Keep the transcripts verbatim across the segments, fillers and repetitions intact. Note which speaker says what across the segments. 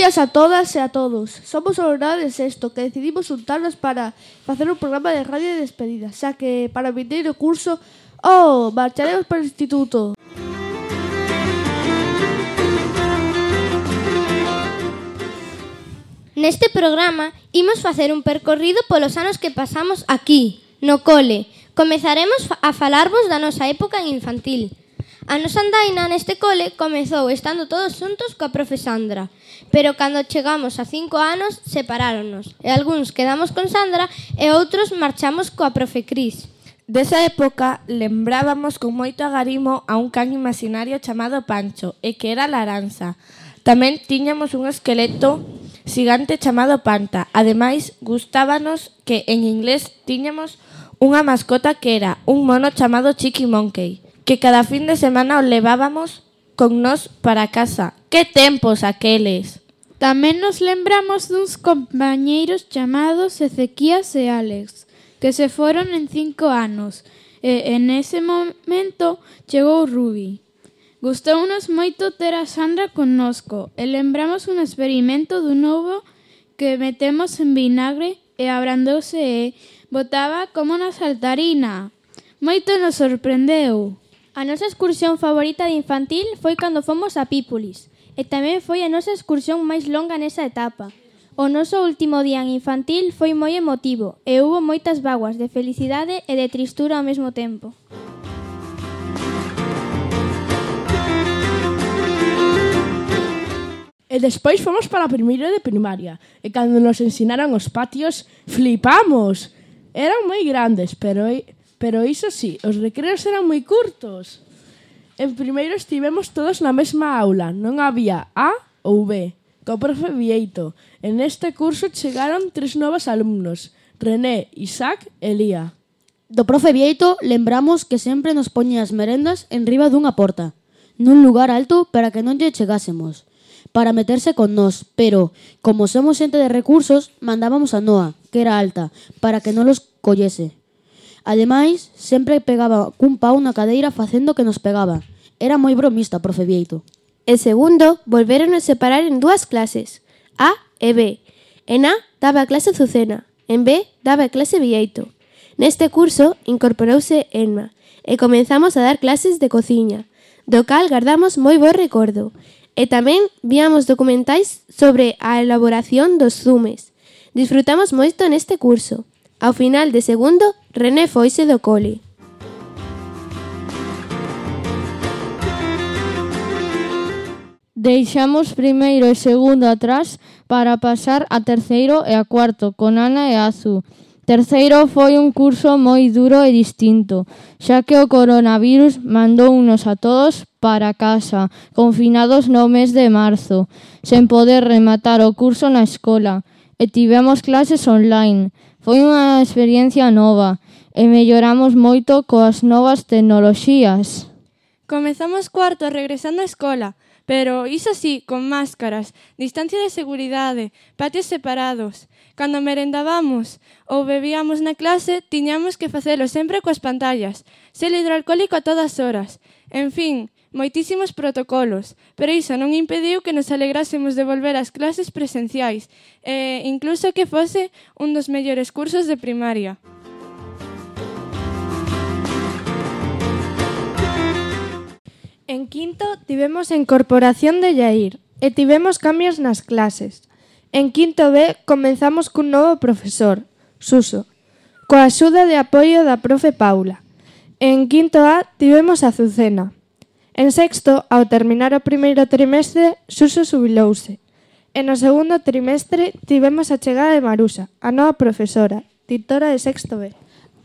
Speaker 1: días a todas e a todos. Somos o alumnado de sexto que decidimos juntarnos para facer un programa de radio de despedida, xa que para o vindeiro curso, oh, marcharemos para o instituto.
Speaker 2: Neste programa imos facer un percorrido polos anos que pasamos aquí, no cole. Comezaremos a falarvos da nosa época en infantil. A nosa andaina neste cole comezou estando todos xuntos coa profe Sandra, pero cando chegamos a cinco anos separáronnos, e algúns quedamos con Sandra e outros marchamos coa profe Cris.
Speaker 3: Desa época lembrábamos con moito agarimo a un can imaginario chamado Pancho, e que era Laranxa. Tamén tiñamos un esqueleto xigante chamado Panta. Ademais, gustábanos que en inglés tiñamos unha mascota que era un mono chamado Chiqui Monkey, que cada fin de semana o levábamos con nós para casa. Que tempos aqueles!
Speaker 4: Tamén nos lembramos duns compañeiros chamados Ezequías e Alex, que se foron en cinco anos, e en ese momento chegou Ruby. Gustounos moito ter a Sandra connosco, e lembramos un experimento dun ovo que metemos en vinagre e abrandouse e botaba como na saltarina. Moito nos sorprendeu.
Speaker 5: A nosa excursión favorita de infantil foi cando fomos a Pípolis, e tamén foi a nosa excursión máis longa nesa etapa. O noso último día en infantil foi moi emotivo e hubo moitas vaguas de felicidade e de tristura ao mesmo tempo.
Speaker 1: E despois fomos para a primeira de primaria, e cando nos ensinaron os patios, flipamos! Eran moi grandes, pero... Pero iso sí, os recreos eran moi curtos. En primeiro estivemos todos na mesma aula, non había A ou B, co profe Vieito. En este curso chegaron tres novos alumnos, René, Isaac e Lía.
Speaker 6: Do profe Vieito lembramos que sempre nos poñía as merendas en riba dunha porta, nun lugar alto para que non lle chegásemos, para meterse con nós, pero, como somos xente de recursos, mandábamos a Noa, que era alta, para que non los collese. Ademais, sempre pegaba cun pau na cadeira facendo que nos pegaba. Era moi bromista, profe Vieito.
Speaker 7: En segundo, volveron a separar en dúas clases, A e B. En A daba a clase Azucena, en B daba a clase Vieito. Neste curso incorporouse Enma e comenzamos a dar clases de cociña, do cal guardamos moi bo recordo. E tamén víamos documentais sobre a elaboración dos zumes. Disfrutamos moito neste curso. Ao final de segundo, René foise do cole.
Speaker 8: Deixamos primeiro e segundo atrás para pasar a terceiro e a cuarto con Ana e Azu. Terceiro foi un curso moi duro e distinto, xa que o coronavirus mandounos a todos para casa, confinados no mes de marzo, sen poder rematar o curso na escola, e tivemos clases online. Foi unha experiencia nova e melloramos moito coas novas tecnoloxías.
Speaker 3: Comezamos cuarto regresando á escola, pero iso sí, con máscaras, distancia de seguridade, patios separados. Cando merendábamos ou bebíamos na clase, tiñamos que facelo sempre coas pantallas, xel hidroalcohólico a todas horas. En fin, moitísimos protocolos, pero iso non impediu que nos alegrásemos de volver ás clases presenciais, e incluso que fose un dos mellores cursos de primaria. En quinto tivemos a incorporación de Yair e tivemos cambios nas clases. En quinto B comenzamos cun novo profesor, Suso, coa axuda de apoio da profe Paula. En quinto A tivemos a Azucena. En sexto, ao terminar o primeiro trimestre, Suso xubilouse. E no segundo trimestre tivemos a chegada de Marusa, a nova profesora, titora de sexto B.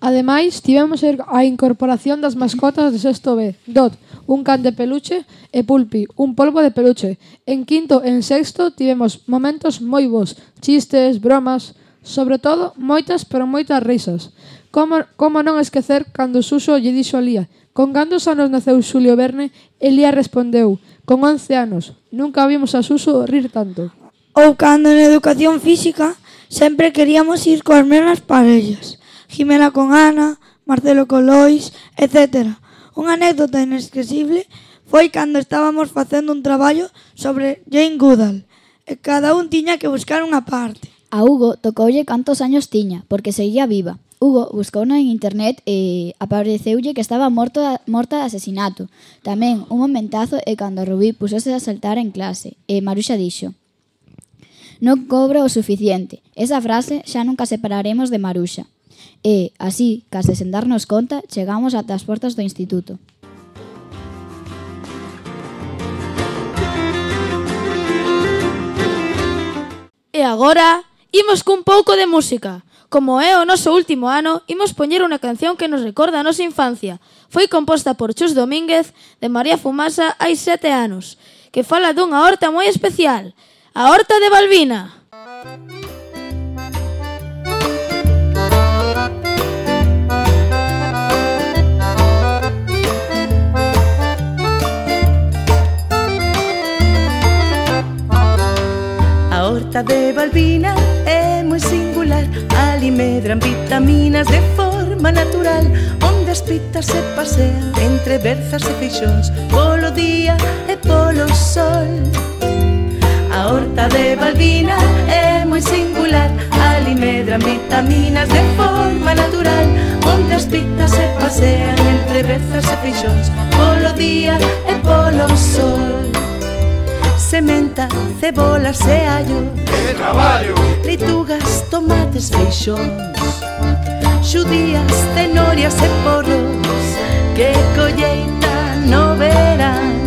Speaker 9: Ademais, tivemos a incorporación das mascotas de sexto B, Dot, un can de peluche, e Pulpi, un polvo de peluche. En quinto e en sexto tivemos momentos moi bons, chistes, bromas, sobre todo moitas pero moitas risas. Como, como non esquecer cando Suso lle dixo a Lía: con cantos anos naceu Xulio Verne? E Lía respondeu: con once anos. Nunca vimos a Suso rir tanto.
Speaker 10: Ou cando en educación física sempre queríamos ir coas mesmas parellas. Jimena con Ana, Marcelo con Lois, etcétera. Unha anécdota inesquecible foi cando estábamos facendo un traballo sobre Jane Goodall e cada un tiña que buscar unha parte.
Speaker 11: A Hugo tocoulle cantos años tiña, porque seguía viva. Hugo buscouno en internet e apareceulle que estaba morto a, morta de asesinato. Tamén un momentazo e cando Rubí pusose a saltar en clase e Maruxa dixo: non cobro o suficiente. Esa frase xa nunca separaremos de Maruxa. E, así, case sen darnos conta, chegamos ata as portas do instituto.
Speaker 12: E agora, imos cun pouco de música. Como é o noso último ano, imos poñer unha canción que nos recorda a nosa infancia. Foi composta por Chus Domínguez de María Fumasa hai sete anos, que fala dunha horta moi especial, a Horta de Balbina.
Speaker 13: A horta de Balbina é moi singular, ali medran vitaminas de forma natural, onde as pitas se pasean entre berzas e feixóns, polo día e polo sol. A horta de Balbina é moi singular, ali medran vitaminas de forma natural, onde as pitas se pasean entre berzas e feixóns, polo día e polo sol. Sementa, cebolas e allo, que traballo! Leitugas, tomates, feixóns, xudías, cenorias e porros, que colleita no verán.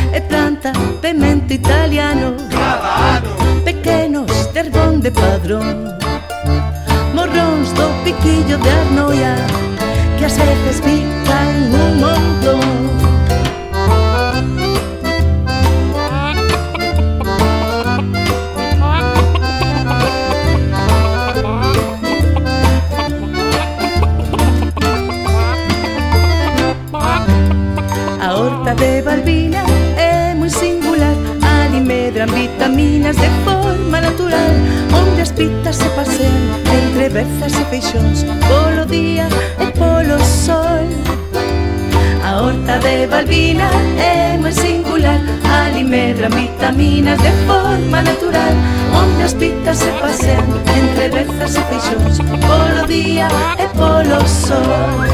Speaker 13: E planta pemento italiano, cada ano, pequenos de Herbón de Padrón, morróns do piquillo de Arnoia, que ás veces pican un montón. A horta de Balbina é moi singular, ali medran vitaminas de forma natural, onde as pitas se pasean entre berzas e feixóns, polo día e polo sol. A horta de Balbina é moi singular, ali medran vitaminas de forma natural, onde as pitas se pasean entre berzas e feixóns, polo día e polo sol.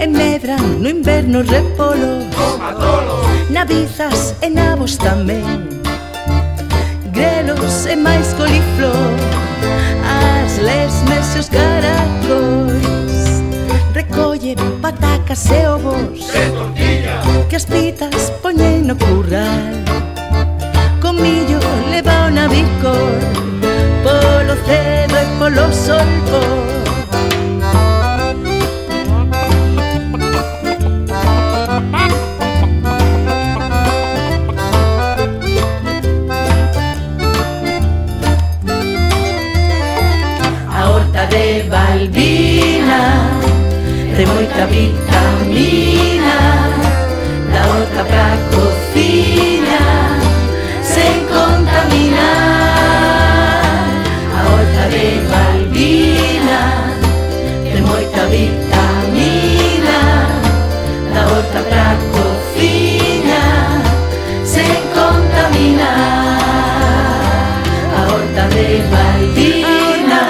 Speaker 13: E medran no inverno repolo, nabizas e nabos tamén, grelos e máis coliflor, as lesmes e os caracóis, recolle patacas e ovos, que as pitas poñen no curral, con millo leva o navicor, polo cedo e polo solpor. De Balbina, de moita vitamina, da horta pra cociña, sen contaminar. A horta de Balbina, de moita vitamina, da horta pra cociña, sen contaminar. A horta de Balbina,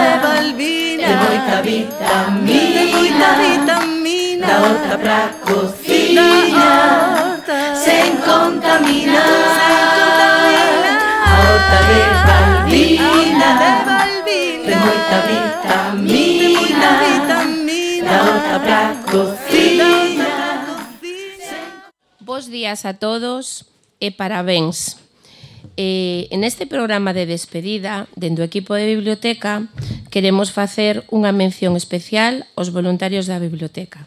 Speaker 13: de moita vitamina, vitamina, da horta pra cociña, sen contaminar. A horta de Balbina, de moita vitamina, da horta pra cociña.
Speaker 14: Bos días a todos e parabéns. Eh, en este programa de despedida, dentro do equipo de biblioteca, queremos facer unha mención especial aos voluntarios da biblioteca.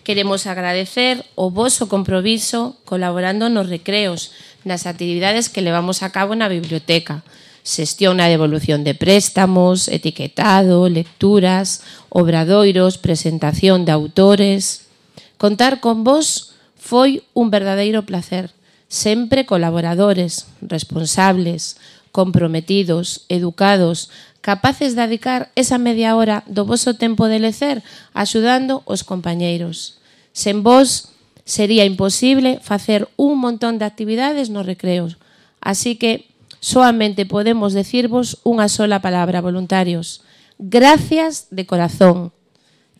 Speaker 14: Queremos agradecer o voso compromiso colaborando nos recreos, nas actividades que levamos a cabo na biblioteca, xestión na devolución de préstamos, etiquetado, lecturas, obradoiros, presentación de autores. Contar con vos foi un verdadeiro placer. Sempre colaboradores, responsables, comprometidos, educados, capaces de dedicar esa media hora do voso tempo de lecer axudando os compañeiros. Sen vos sería imposible facer un montón de actividades nos recreos. Así que soamente podemos decirvos unha sola palabra, voluntarios. Gracias de corazón.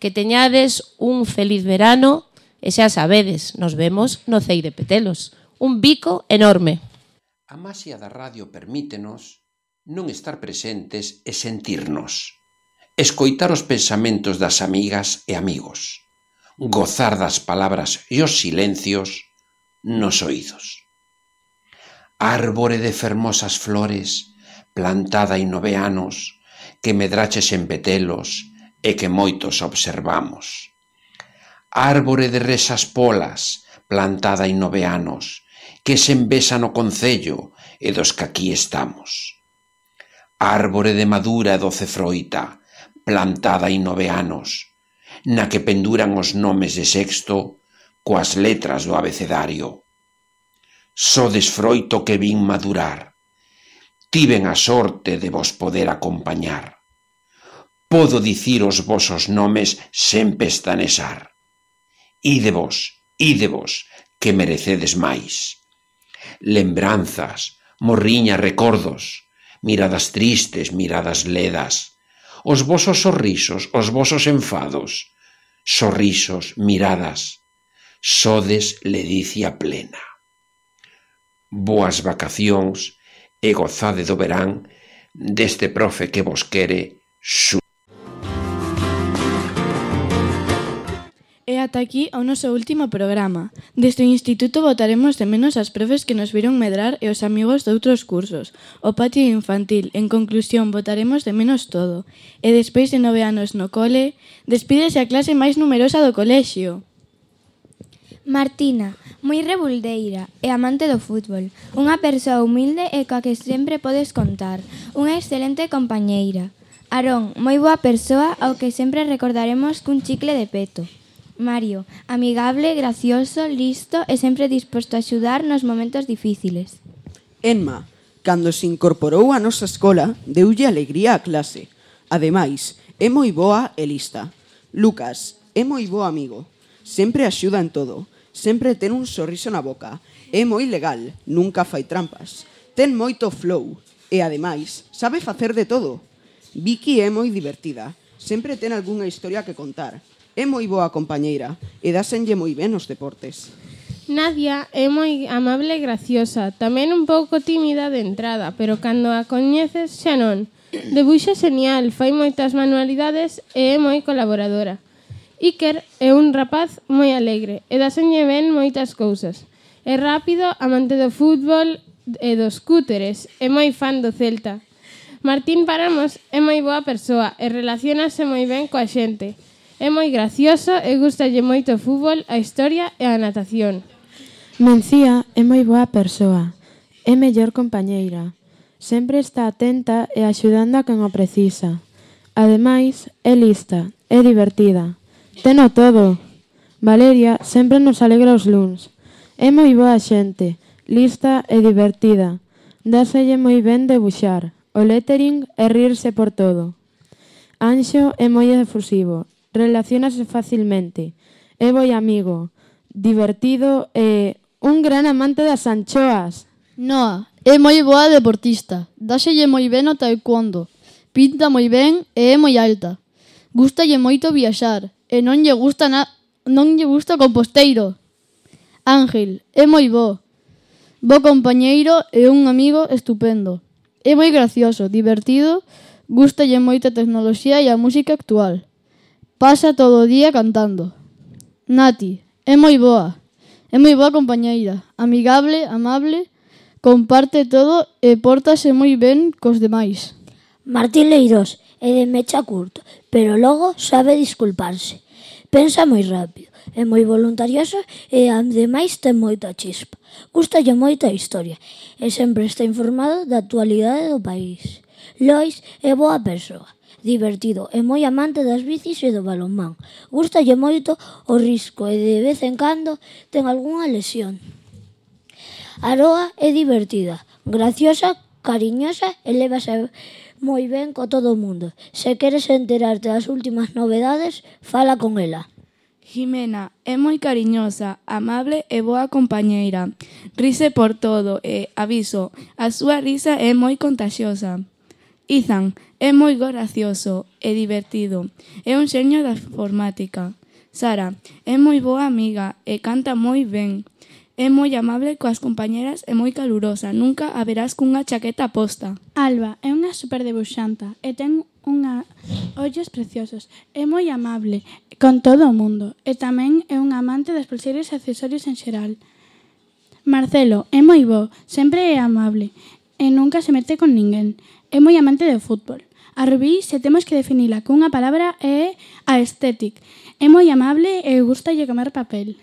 Speaker 14: Que teñades un feliz verano e xa sabedes, nos vemos no Cei de Petelos. Un bico enorme.
Speaker 15: A maxia da radio permítenos non estar presentes e sentirnos, escoitar os pensamentos das amigas e amigos, gozar das palabras e os silencios nos oídos. Árbore de fermosas flores, plantada hai nove anos, que medraches en Petelos e que moitos observamos. Árbore de resas polas, plantada hai nove anos, que se envesa no concello e dos que aquí estamos. Árbore de madura e doce froita, plantada hai nove anos, na que penduran os nomes de sexto coas letras do abecedario. Sodes froito que vin madurar, tiven a sorte de vos poder acompañar. Podo dicir os vosos nomes sen pestanesar. Ídevos, ídevos, que merecedes máis. Lembranzas, morriñas, recordos, miradas tristes, miradas ledas, os vosos sorrisos, os vosos enfados, sorrisos, miradas, sodes ledicia plena. Boas vacacións e gozade do verán deste profe que vos quere su.
Speaker 16: E ata aquí o noso último programa. Desde o Instituto botaremos de menos as profes que nos viron medrar e os amigos de outros cursos. O patio infantil, en conclusión, botaremos de menos todo. E despois de nove anos no cole, despídese a clase máis numerosa do colexio.
Speaker 5: Martina, moi rebuldeira e amante do fútbol. Unha persoa humilde e coa que sempre podes contar. Unha excelente compañeira. Aarón, moi boa persoa ao que sempre recordaremos cun chicle de peto. Mario, amigable, gracioso, listo e sempre disposto a axudar nos momentos difíciles.
Speaker 17: Enma, cando se incorporou á nosa escola, deulle alegría á clase. Ademais, é moi boa e lista. Lucas, é moi bo amigo. Sempre axuda en todo. Sempre ten un sorriso na boca. É moi legal, nunca fai trampas. Ten moito flow. E ademais, sabe facer de todo. Vicky é moi divertida. Sempre ten algunha historia que contar. É moi boa compañeira e dásenlle moi ben os deportes.
Speaker 8: Nadia é moi amable e graciosa, tamén un pouco tímida de entrada, pero cando a coñeces xa non. Debuxa genial, fai moitas manualidades e é moi colaboradora. Iker é un rapaz moi alegre e dásenlle ben moitas cousas. É rápido, amante do fútbol e dos cúteres, é moi fan do Celta. Martín Paramos é moi boa persoa e relacionase moi ben coa xente. É moi gracioso e gustalle moito o fútbol, a historia e a natación.
Speaker 3: Mencía é moi boa persoa, é mellor compañeira. Sempre está atenta e axudando a quen o precisa. Ademais, é lista, é divertida. Teno todo. Valeria sempre nos alegra os luns. É moi boa xente, lista e divertida. Dáselle moi ben debuxar, o lettering e rirse por todo. Anxo é moi efusivo. Relaciónase facilmente, é moi amigo, divertido e un gran amante das anchoas.
Speaker 6: Noa, é moi boa deportista, dáselle moi ben o taekwondo, pinta moi ben e é moi alta. Gústalle moito viaxar e non lle gusta na... non lle gusta o composteiro. Ángel, é moi bo, bo compañeiro e un amigo estupendo. É moi gracioso, divertido, gústalle moito a tecnoloxía e a música actual. Pasa todo o día cantando. Nati, é moi boa. É moi boa compañeira. Amigable, amable, comparte todo e pórtase moi ben cos demais.
Speaker 18: Martín Leirós é de mecha curto, pero logo sabe disculparse. Pensa moi rápido, é moi voluntarioso e ademais ten moita chispa. Gústalle moita a historia e sempre está informado da actualidade do país. Lois é boa persoa. Divertido e moi amante das bicis e do balonmán. Gústalle moito o risco e de vez en cando ten algunha lesión. Aroa é divertida, graciosa, cariñosa e lévase moi ben co todo o mundo. Se queres enterarte das últimas novedades, fala con ela.
Speaker 16: Jimena é moi cariñosa, amable e boa compañeira. Rise por todo e, aviso, a súa risa é moi contaxiosa. Ethan é moi gracioso e divertido. É un xeño da informática. Sara é moi boa amiga e canta moi ben. É moi amable coas compañeras e moi calurosa. Nunca a verás cunha chaqueta posta.
Speaker 5: Alba é unha superdebuxanta e ten unha ollos preciosos. É moi amable con todo o mundo e tamén é un amante das pulseiras e accesorios en xeral. Marcelo é moi bo, sempre é amable e nunca se mete con ninguén. É moi amante do fútbol. A Rubí, se temos que definila cunha palabra, é aesthetic. É moi amable e gustalle comer papel.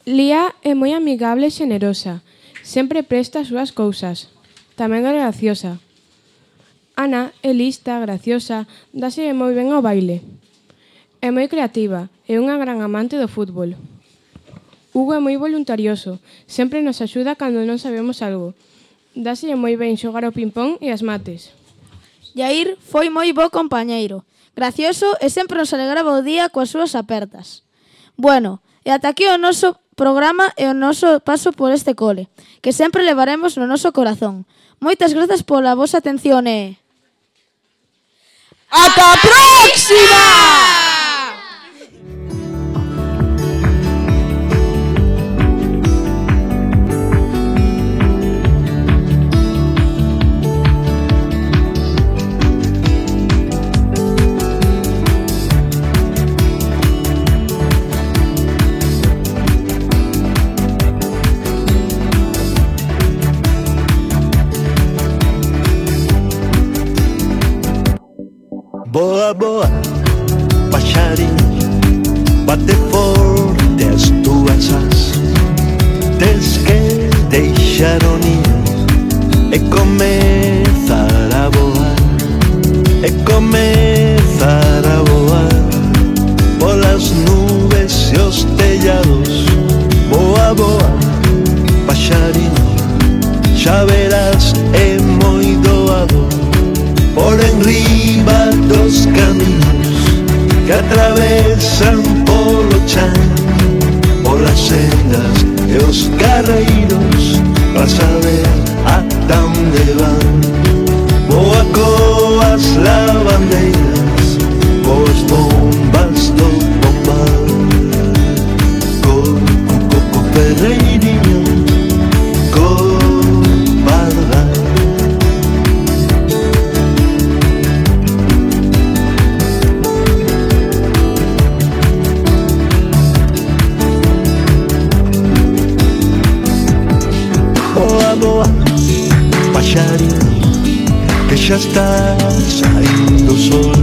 Speaker 19: Lía é moi amigable e xenerosa. Sempre presta as súas cousas. Tamén é graciosa. Ana é lista, graciosa, dáse moi ben ao baile. É moi creativa e unha gran amante do fútbol. Hugo é moi voluntarioso. Sempre nos axuda cando non sabemos algo. Dáse moi ben xogar ao ping-pong e as mates.
Speaker 12: Yair foi moi bo compañeiro. Gracioso e sempre nos alegraba o día coas súas apertas. Bueno, e ata aquí o noso programa e o noso paso por este cole, que sempre levaremos no noso corazón. Moitas grazas pola vosa atención e... ¡Ata a próxima!
Speaker 20: Boa, boa, paxarín, bate forte as túas as. Tes que deixar o niño e comezar a voar, e comezar a voar polas nubes e os tellados. Boa, boa, paxarín, xa verás, é moi doado por enriba dos camiños que atravesan polo chan, polas sendas e os carreiros, para saber ata onde van. Boa coas lavandeiras, coas bombas do bombal, co, co, co, co ferreirinho, co pardal. Boa, paxarín, que xa está saindo o sol.